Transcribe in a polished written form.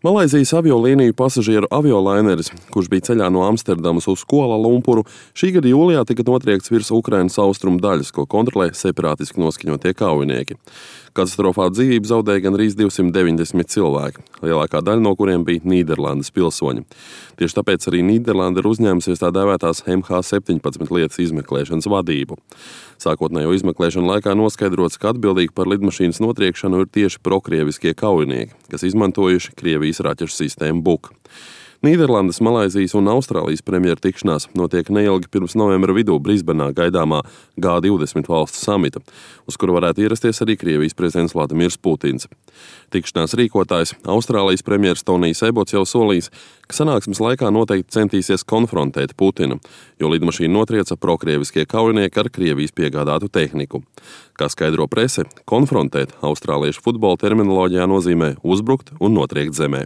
Malaizijas aviolīniju pasažieru aviolaineris, kurš bija ceļā no Amsterdamas uz Kuala Lumpuru, šī gada jūlijā tika notriekts virs Ukrainas austrumu daļas, ko kontrolē separātiski noskaņotie kaujinieki. Katastrofā dzīvību zaudēja gandrīz 290 cilvēki, lielākā daļa no kuriem bija Nīderlandes pilsoņi. Tieši tāpēc arī Nīderlanda ir uzņēmusies tā dēvētās MH17 lietas izmeklēšanas vadību. Sākotnējo izmeklēšanu laikā noskaidrots, ka atbildīgi par lidmašīnas notriekšanu ir tieši prokrieviskie kaujinieki, kas izmantojuši Krievijas raķešu sistēmu Buk. Nīderlandes, Malaizijas un Austrālijas premjeru tikšanās notiek neilgi pirms novembra vidū Brisbanā gaidāmā G20 valstu samita, uz kuru varētu ierasties arī Krievijas prezidents Vladimirs Putins. Tikšanās rīkotājs, Austrālijas premjeras Tonijs Ebots jau solījis, ka sanāksmes laikā noteikti centīsies konfrontēt Putinu, jo lidmašīnu notrieca prokrieviskie kaujinieki ar Krievijas piegādātu tehniku. Kā skaidro prese, konfrontēt austrāliešu futbola terminoloģijā nozīmē uzbrukt un notriekt zemē.